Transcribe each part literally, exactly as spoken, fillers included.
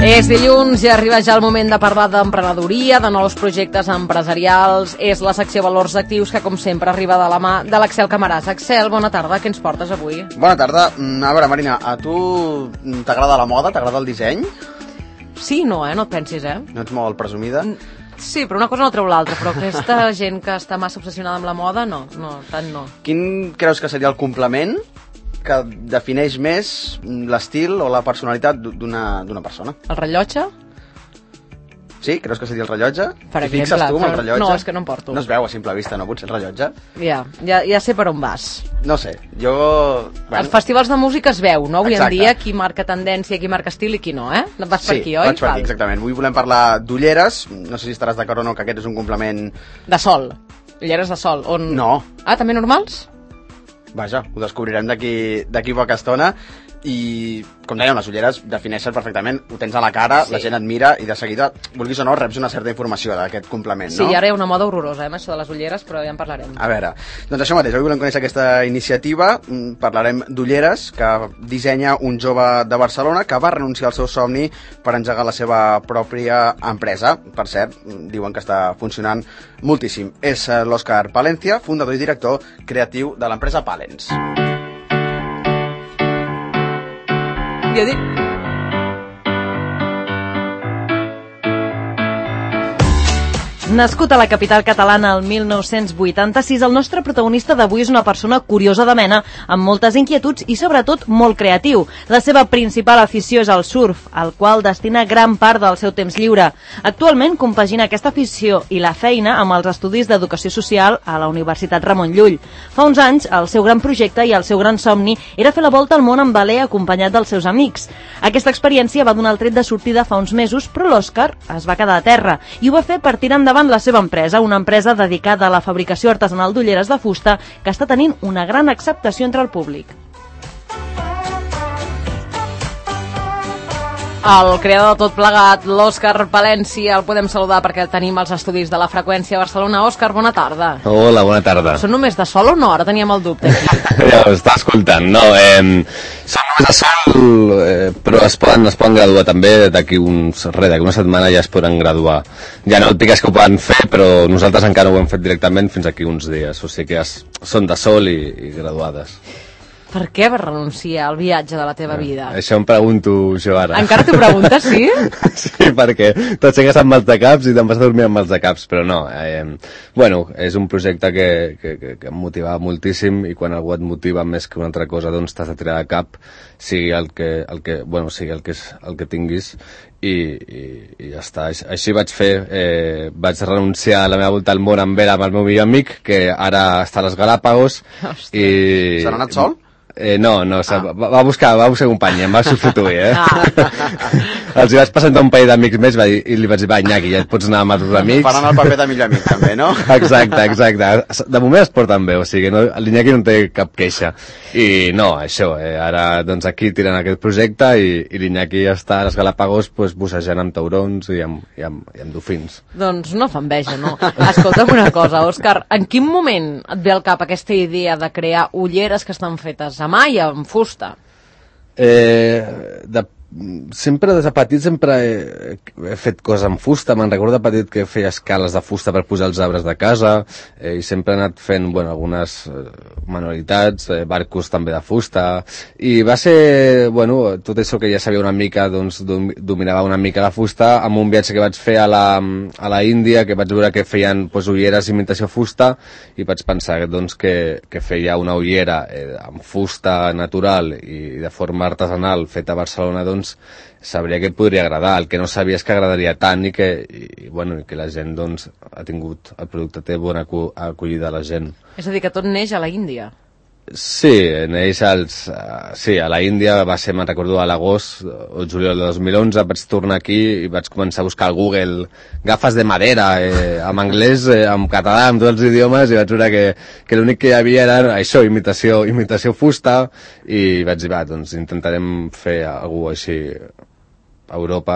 És dilluns i arriba ja el moment de parlar d'emprenedoria, de nous projectes empresarials. És la secció Valors Actius que, com sempre, arriba de la mà de l'Axel Camaràs. Axel, bona tarda, què ens portes avui? Bona tarda. A veure, Marina, a tu t'agrada la moda, t'agrada el disseny? Sí, no, eh? No et pensis, eh? No ets molt presumida? Sí, però una cosa no treu l'altra, però aquesta gent que està massa obsessionada amb la moda, no, no, tant no. Quin creus que seria el complement que defineix més l'estil o la personalitat d'una d'una persona? El rellotge? Sí? Creus que seria el rellotge? Per T'hi exemple, fixes tu amb el però- rellotge? no, és que no em porto. No es veu a simple vista, no? Potser el rellotge? Ja, ja, ja sé per on vas. No sé, jo... Bueno. Els festivals de música es veu, no? Avui Exacte. en dia qui marca tendència, qui marca estil i qui no, eh? Vas per Sí, aquí, oi? vaig per aquí, exactament. Avui volem parlar d'ulleres. No sé si estaràs d'acord o no que aquest és un complement... De sol. Ulleres de sol. On... No. Ah, també normals? Vaja, ho descobrirem d'aquí d'aquí poca estona. I, com dèiem, les ulleres defineixen perfectament, ho tens a la cara, Sí. la gent et mira i de seguida, vulguis o no, reps una certa informació d'aquest complement, Sí, no? i ara hi ha una moda horrorosa, eh, amb això de les ulleres, però ja en parlarem. A veure, doncs això mateix, avui volem conèixer aquesta iniciativa, mm, parlarem d'ulleres, que dissenya un jove de Barcelona que va renunciar al seu somni per engegar la seva pròpia empresa. Per cert, diuen que està funcionant moltíssim. És eh, l'Òscar Palencia, fundador i director creatiu de l'empresa Palens. Jo dic... Nascut a la capital catalana el mil nou-cents vuitanta-sis, el nostre protagonista d'avui és una persona curiosa de mena, amb moltes inquietuds i sobretot molt creatiu. La seva principal afició és el surf, al qual destina gran part del seu temps lliure. Actualment compagina aquesta afició i la feina amb els estudis d'educació social a la Universitat Ramon Llull. Fa uns anys, el seu gran projecte i el seu gran somni era fer la volta al món en veler acompanyat dels seus amics. Aquesta experiència va donar el tret de sortida fa uns mesos, però l'Òscar es va quedar a terra i ho va fer per tirar endavant la seva empresa, una empresa dedicada a la fabricació artesanal d'ulleres de fusta que està tenint una gran acceptació entre el públic. El creador de tot plegat, l'Òscar Palencia, el podem saludar perquè el tenim als estudis de la Freqüència a Barcelona. Òscar, bona tarda. Hola, bona tarda. Són només de sol o no? Ara teníem el dubte aquí. Ja ho està escoltant, no, eh, són només de sol, eh, però es poden, es poden graduar també d'aquí uns, res, d'aquí una setmana ja es poden graduar. Ja no et digues que ho poden fer, però nosaltres encara ho hem fet directament fins aquí uns dies, o sigui que es, són de sol i, i graduades. Per què vas renunciar al viatge de la teva vida? Això em pregunto jo ara. Encara t'ho preguntes, sí? Sí, perquè t'aixeques amb mals de caps i te'n vas a dormir amb mals de caps, però no. Eh, bueno, és un projecte que, que, que, que em motivava moltíssim i quan algú et motiva més que una altra cosa, doncs t'has de tirar de cap, sigui el que, el que, bueno, sigui el que, és, el que tinguis i, i, i ja està. Així vaig fer, eh, vaig renunciar a la meva volta al món amb Vera, amb el meu millor amic, que ara està a les Galàpagos. I... Se n'ha anat sol? Eh, no, no, ah. va, va buscar, va buscar companya, em va substituir, eh? Ah. Els hi vaig presentar un parell d'amics més va dir, i li vaig dir, va, Iñaki, ja et pots anar amb els teus amics. Faran el paper de millor amic, també, no? Exacte, exacte. De moment es porten bé, o sigui, no, l'Iñaki no té cap queixa. I no, això, eh, ara doncs aquí tiren aquest projecte i, i l'Iñaki està a les Galàpagos pues, bussejant amb taurons i amb, i amb, i amb dofins. Doncs no fa enveja, no? Escolta'm una cosa, Òscar, en quin moment et ve al cap aquesta idea de crear ulleres que estan fetes a mà i amb fusta? Eh, de, sempre des de petit sempre he, he fet coses amb fusta. Me'n recordo de petit que feia escales de fusta per posar els arbres de casa, eh, i sempre he anat fent, bueno, algunes eh, manualitats, eh, barcos també de fusta, i va ser, bueno, tot això que ja sabia una mica, doncs dom, dominava una mica la fusta amb un viatge que vaig fer a la, a la Índia, que vaig veure que feien pues, ulleres imitació fusta, i vaig pensar doncs, que, que feia una ullera eh, amb fusta natural i de forma artesanal feta a Barcelona, doncs sabria que podria agradar. El que no sabia és que agradaria tant i que, i, bueno, que la gent doncs, ha tingut, el producte té bona acollida a la gent. És a dir, que tot neix a la Índia. Sí, neix als, uh, sí, a la Índia va ser, me'n recordo, a l'agost o juliol de dos mil onze, vaig tornar aquí i vaig començar a buscar al Google gafes de madera, eh, en anglès, eh, en català, en tots els idiomes, i vaig veure que, que l'únic que hi havia era això, imitació, imitació fusta, i vaig dir, va, doncs intentarem fer alguna cosa així a Europa,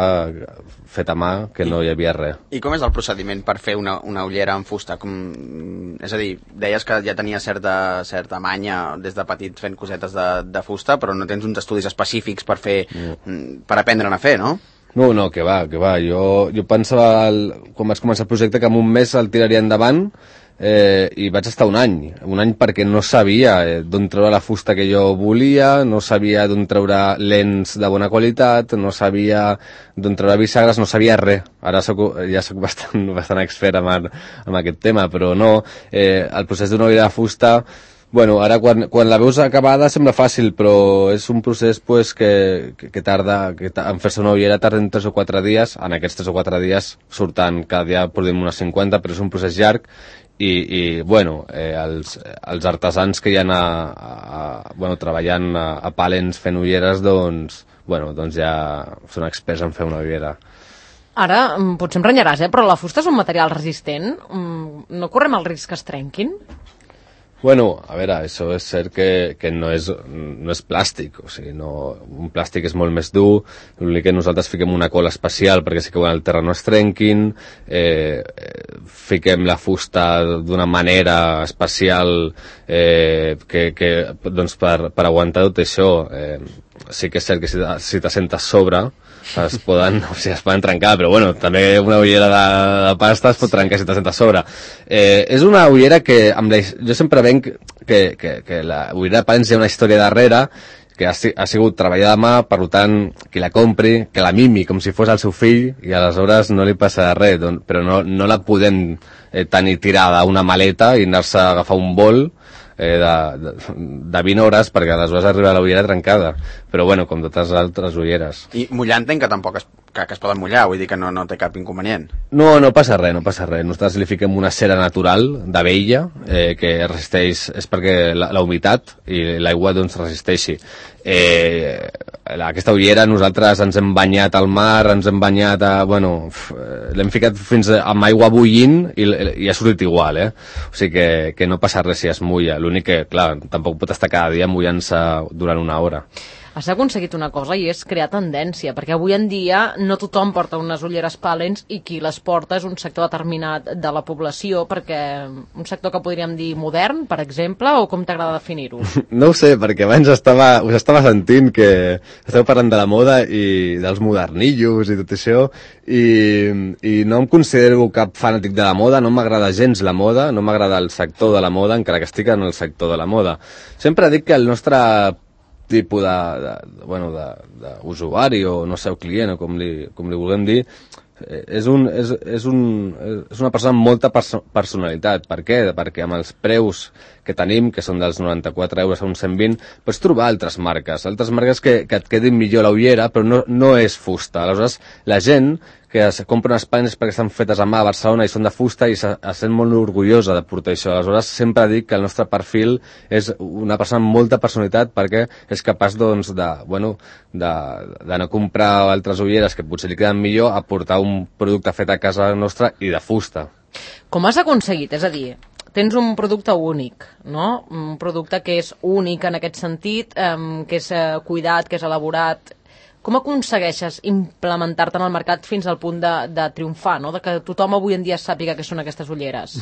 fet a mà, que no hi havia res. I com és el procediment per fer una, una ullera en fusta? Com... És a dir, deies que ja tenia certa, certa manya des de petit fent cosetes de, de fusta, però no tens uns estudis específics per fer, mm. per aprendre'n a fer, no? No, no, que va, que va. Jo, jo pensava, el, quan vaig començar el projecte, que en un mes el tiraria endavant, eh, i vaig estar un any. Un any perquè no sabia eh, d'on treure la fusta que jo volia, no sabia d'on treure lents de bona qualitat, no sabia d'on treure bisagres, no sabia res. Ara soc, ja soc bastant, bastant expert en, en aquest tema, però no. Eh, el procés d'una olla de fusta... Bueno, ara quan, quan la veus acabada sembla fàcil, però és un procés pues, que, que, que tarda, que en fer-se una ullera tarden tres o quatre dies, en aquests tres o quatre dies surten, cada dia produïm unes cinquanta, però és un procés llarg i, i bueno, eh, els, els artesans que hi ha a, a, bueno, treballant a, a Pàlens fent ulleres, doncs, bueno, doncs ja són experts en fer una ullera. Ara, potser em renyaràs, eh? Però la fusta és un material resistent? No correm el risc que es trenquin? Bueno, a veure, això és cert que, que no, és, no és plàstic, o sigui, no, un plàstic és molt més dur, l'únic que nosaltres fiquem una cola especial perquè si cauen al terra no es trenquin, eh, fiquem la fusta d'una manera especial eh, que, que, doncs per, per aguantar tot això. Eh, sí que és cert que si, si t'assentes sobre es poden, o sigui, es poden trencar, però bueno, també una ullera de, de pasta es pot trencar si t'assentes sobre. Eh, és una ullera que, amb la, jo sempre venc que, que, que la ullera de Pàlens hi ha una història darrere, que ha, ha sigut treballada a mà, per tant, qui la compri, que la mimi com si fos el seu fill, i aleshores no li passa res, doncs, però no, no la podem eh, tenir tirada a una maleta i anar-se a agafar un vol, Eh, de, de, de vint hores perquè aleshores arriba la ullera trencada, però bueno, com totes les altres ulleres. I mullar entenc que tampoc es, que, que es poden mullar, vull dir que no, no té cap inconvenient. No, no passa res, no passa res. Nosaltres li fiquem una cera natural d'abella eh, que resisteix, és perquè la, la humitat i l'aigua doncs resisteixi. Eh, aquesta ullera nosaltres ens hem banyat al mar, ens hem banyat a, bueno, l'hem ficat fins a, amb aigua bullint i, i ha sortit igual, eh? O sigui que, que no passa res si es mulla, l'únic que, clar, tampoc pot estar cada dia mullant-se durant una hora. Has aconseguit una cosa i és crear tendència, perquè avui en dia no tothom porta unes ulleres Pàlens i qui les porta és un sector determinat de la població, perquè un sector que podríem dir modern, per exemple, o com t'agrada definir-ho? No ho sé, perquè abans estava, us estava sentint que esteu parlant de la moda i dels modernillos i tot això, i, i no em considero cap fanàtic de la moda, no m'agrada gens la moda, no m'agrada el sector de la moda, encara que estic en el sector de la moda. Sempre dic que el nostre tipus de, de, bueno, d'usuari o no sé, client o com li, com li vulguem dir, és, un, és, és, un, és una persona amb molta perso personalitat. Per què? Perquè amb els preus que tenim, que són dels noranta-quatre euros a uns cent vint, pots trobar altres marques, altres marques que, que et quedin millor la ullera, però no, no és fusta. Aleshores, la gent que es compra unes Pàlens perquè estan fetes a mà a Barcelona i són de fusta i se, es sent molt orgullosa de portar això. Aleshores, sempre dic que el nostre perfil és una persona amb molta personalitat perquè és capaç, doncs, de, bueno, de, de no comprar altres ulleres que potser li queden millor a portar un producte fet a casa nostra i de fusta. Com has aconseguit? És a dir, tens un producte únic, no? Un producte que és únic en aquest sentit, eh, que és eh, cuidat, que és elaborat. Com aconsegueixes implementar-te en el mercat fins al punt de, de triomfar, no? De que tothom avui en dia sàpiga què són aquestes ulleres?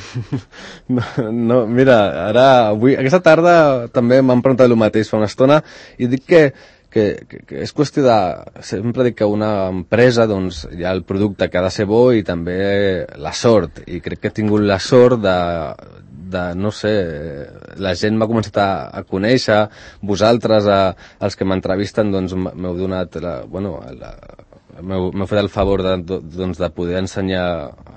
No, no, mira, ara, avui, aquesta tarda també m'han preguntat el mateix fa una estona i dic que, que, que, que és qüestió de... Sempre dic que una empresa, doncs, hi ha el producte que ha de ser bo i també la sort, i crec que he tingut la sort de... de, no sé, la gent m'ha començat a, a conèixer, vosaltres, a, els que m'entrevisten, doncs m'heu donat, la, bueno, la, m'heu fet el favor de, doncs, de poder ensenyar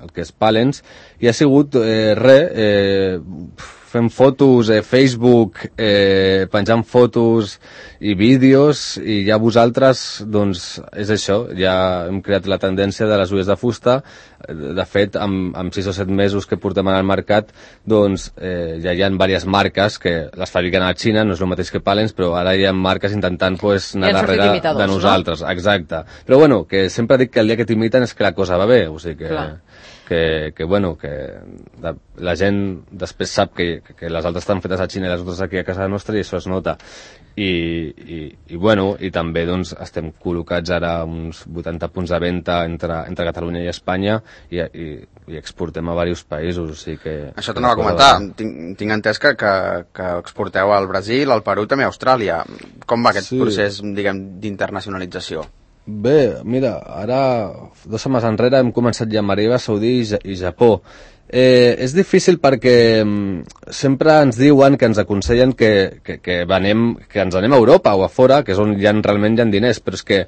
el que és Pàlens, i ha sigut eh, res, eh, fent fotos a eh, Facebook, eh, penjant fotos i vídeos, i ja vosaltres, doncs, és això, ja hem creat la tendència de les ulleres de fusta. De fet, amb, amb sis o set mesos que portem al mercat, doncs eh, ja hi ha diverses marques que les fabriquen a la Xina, no és el mateix que Pàlens, però ara hi ha marques intentant pues, anar darrere de nosaltres. No? Exacte. Però bueno, que sempre dic que el dia que t'imiten és que la cosa va bé, o sigui que... Clar. Que, que, bueno, que la gent després sap que, que les altres estan fetes a Xina i les altres aquí a casa nostra i això es nota. I, i, i bueno, i també doncs estem col·locats ara uns vuitanta punts de venda entre, entre Catalunya i Espanya i, i, i exportem a diversos països, o sigui que... Això t'anava a comentar, tinc, tinc entès que, que, que exporteu al Brasil, al Perú, també a Austràlia. Com va aquest sí. procés, diguem, d'internacionalització? Bé, mira, ara, dues setmanes enrere hem començat ja amb Aràbia Saudí i, Ja- i Japó. Eh, és difícil perquè mm, sempre ens diuen que ens aconsellen que, que, que, venem, que ens anem a Europa o a fora, que és on hi ha, realment hi ha diners, però és que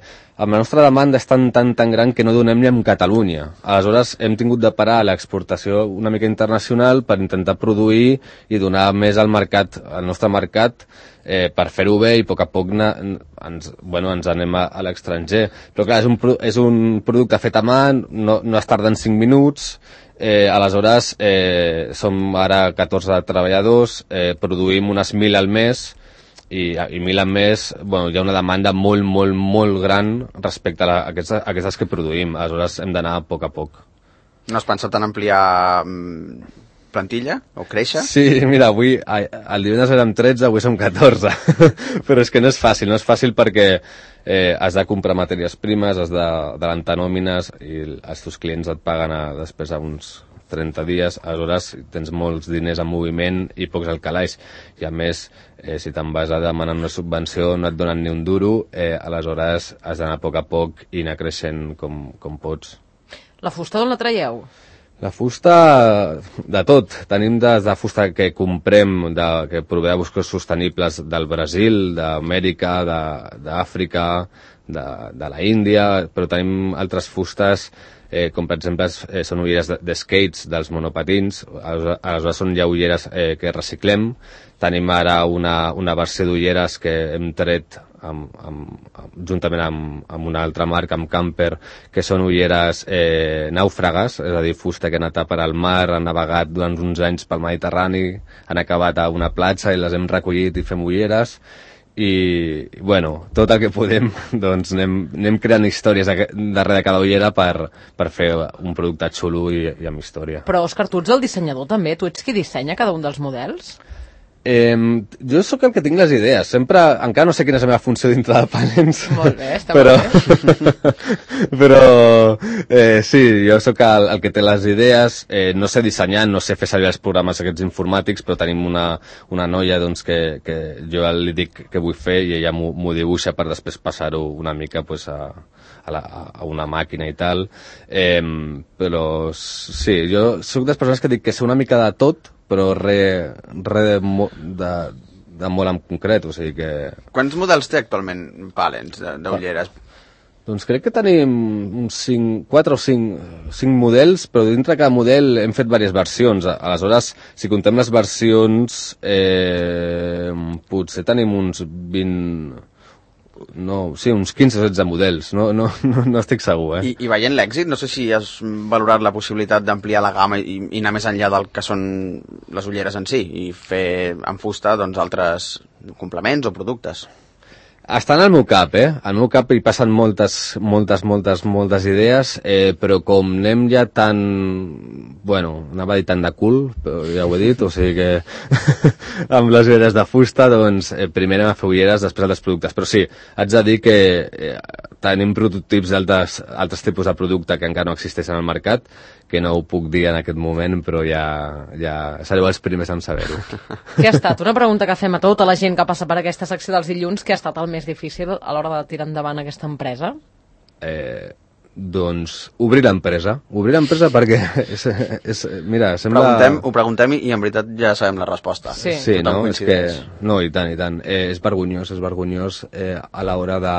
amb la nostra demanda és tan, tan, tan gran que no donem ni amb Catalunya. Aleshores hem tingut de parar l'exportació una mica internacional per intentar produir i donar més al mercat, al nostre mercat, eh, per fer-ho bé i a poc a poc na, ens, bueno, ens anem a, a l'estranger. Però clar, és un, és un producte fet a mà, no, no es tarda en cinc minuts, Eh, aleshores, eh, som ara catorze treballadors, eh, produïm unes mil al mes i, i mil al mes, bueno, hi ha una demanda molt, molt, molt gran respecte a, la, a, aquestes, a aquestes que produïm. Aleshores hem d'anar a poc a poc. No has pensat en ampliar mm, plantilla o créixer? Sí, mira, avui, el divendres érem tretze, avui som catorze. Però és que no és fàcil, no és fàcil perquè eh, has de comprar matèries primes, has d'adelantar nòmines i els teus clients et paguen a, després a uns trenta dies, aleshores tens molts diners en moviment i pocs al calaix. I a més, eh, si te'n vas a demanar una subvenció no et donen ni un duro, eh, aleshores has d'anar a poc a poc i anar creixent com, com pots. La fusta d'on la traieu? La fusta, de tot. Tenim des de fusta que comprem, de, que prové de boscos sostenibles del Brasil, d'Amèrica, d'Àfrica, de, de la Índia, però tenim altres fustes, eh, com per exemple eh, són ulleres de, de skates dels monopatins, aleshores són ja ulleres eh, que reciclem. Tenim ara una, una versió d'ulleres que hem tret amb, amb, amb, juntament amb, amb una altra marca, amb Camper, que són ulleres eh, nàufragues, és a dir, fusta que ha anat a per al mar, han navegat durant uns anys pel Mediterrani, han acabat a una platja i les hem recollit i fem ulleres. I, bueno, tot el que podem, doncs anem, anem creant històries darrere de cada ullera per, per fer un producte xulo i, i amb història. Però, Òscar, tu ets el dissenyador també? Tu ets qui dissenya cada un dels models? Eh, jo sóc el que tinc les idees. Sempre, encara no sé quina és la meva funció dintre de Palens. Molt bé, està però, molt bé. però, eh, sí, jo sóc el, el que té les idees. Eh, no sé dissenyar, no sé fer servir els programes aquests informàtics, però tenim una, una noia doncs, que, que jo li dic què vull fer i ella m'ho dibuixa per després passar-ho una mica pues, a, a, la, a una màquina i tal. Eh, però, sí, jo sóc de les persones que dic que sé una mica de tot, però res re de, de, de molt en concret, o sigui que... Quants models té actualment Palens d'ulleres? Doncs crec que tenim uns cinc, quatre o cinc, cinc models, però dintre de cada model hem fet diverses versions. Aleshores, si contem les versions, eh, potser tenim uns vint... No, sí, uns quinze o setze models, no, no, no, no estic segur, eh? I, i veient l'èxit, no sé si has valorat la possibilitat d'ampliar la gamma i, i anar més enllà del que són les ulleres en si i fer en fusta doncs, altres complements o productes. Està en el meu cap, eh? Al meu cap hi passen moltes, moltes, moltes, moltes idees, eh, però com anem ja tan... Bueno, anava a dir tant de cul, però ja ho he dit, o sigui que amb les ulleres de fusta, doncs, eh, primer anem a fer ulleres, després altres productes. Però sí, haig de dir que eh, tenim prototips d'altres altres tipus de producte que encara no existeixen al mercat, que no ho puc dir en aquest moment, però ja, ja sereu els primers en saber-ho. Què ha estat? Una pregunta que fem a tota la gent que passa per aquesta secció dels dilluns, què ha estat el més difícil a l'hora de tirar endavant aquesta empresa? Eh, doncs obrir l'empresa. Obrir l'empresa perquè, és, és, mira, sembla... Preguntem, ho preguntem i en veritat ja sabem la resposta. Sí, sí, no? És que, no, i tant, i tant. Eh, és vergonyós, és vergonyós eh, a l'hora de,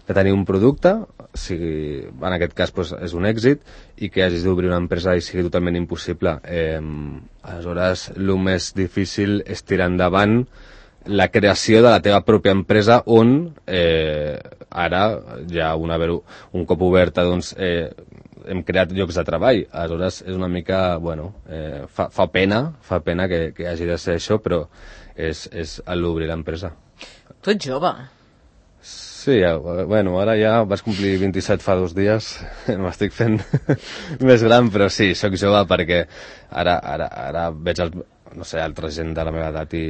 de tenir un producte, sigui, en aquest cas pues, és un èxit, i que hagis d'obrir una empresa i sigui totalment impossible. Eh, aleshores, el més difícil és tirar endavant la creació de la teva pròpia empresa on eh, ara ja una, un cop oberta doncs, eh, hem creat llocs de treball. Aleshores és una mica, bueno, eh, fa, fa pena, fa pena que, que hagi de ser això, però és, és l'obrir l'empresa. Tu ets jove. Sí, bueno, ara ja vas complir vint-i-set fa dos dies, m'estic fent més gran, però sí, sóc jove perquè ara, ara, ara veig el, no sé, altra gent de la meva edat i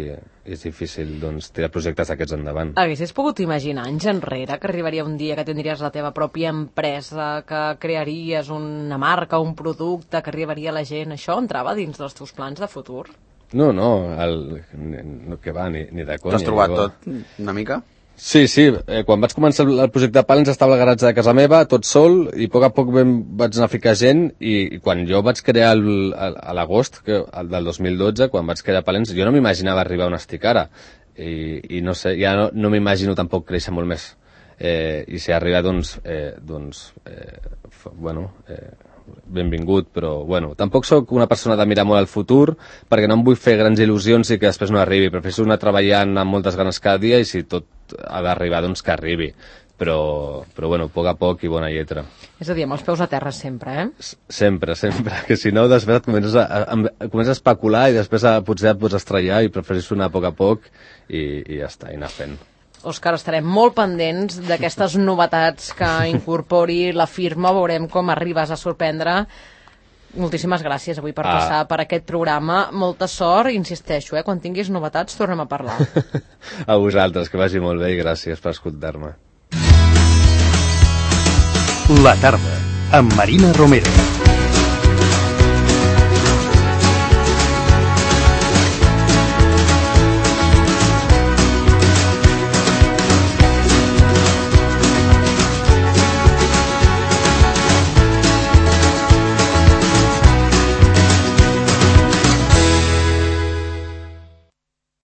és difícil doncs, tirar projectes d'aquests endavant. Haguessis pogut imaginar anys enrere que arribaria un dia que tindries la teva pròpia empresa, que crearies una marca, un producte, que arribaria la gent? Això entrava dins dels teus plans de futur? No, no, el, no que va, ni, ni de conya. T'has trobat tot una mica? Sí, sí, eh, quan vaig començar el, el projecte Palens estava al garatge de casa meva, tot sol, i a poc a poc vam, vaig anar a ficar gent, i, i quan jo vaig crear el, el, a l'agost que- el del dos mil dotze, quan vaig crear Palens, jo no m'imaginava arribar on estic ara, i, i no sé, ja no, no m'imagino tampoc créixer molt més, eh, i si arriba, doncs, eh, doncs eh, f- bueno, eh, benvingut, però bueno, tampoc sóc una persona de mirar molt al futur perquè no em vull fer grans il·lusions i que després no arribi, prefereixo anar treballant amb moltes ganes cada dia i si tot ha d'arribar, doncs que arribi, però, però bueno, a poc a poc i bona lletra. És a dir, amb els peus a terra sempre, eh? S- Sempre, sempre, que si no després et comences a, a, a, comences a especular i després a, potser et pots estrellar i prefereixo anar a poc a poc i, i ja està, i anar fent. Òscar, estarem molt pendents d'aquestes novetats que incorpori la firma, veurem com arribes a sorprendre. Moltíssimes gràcies avui per Ah. passar per aquest programa. Molta sort, insisteixo, eh? Quan tinguis novetats tornem a parlar. A vosaltres, que vagi molt bé i gràcies per escoltar-me. La tarda, amb Marina Romero.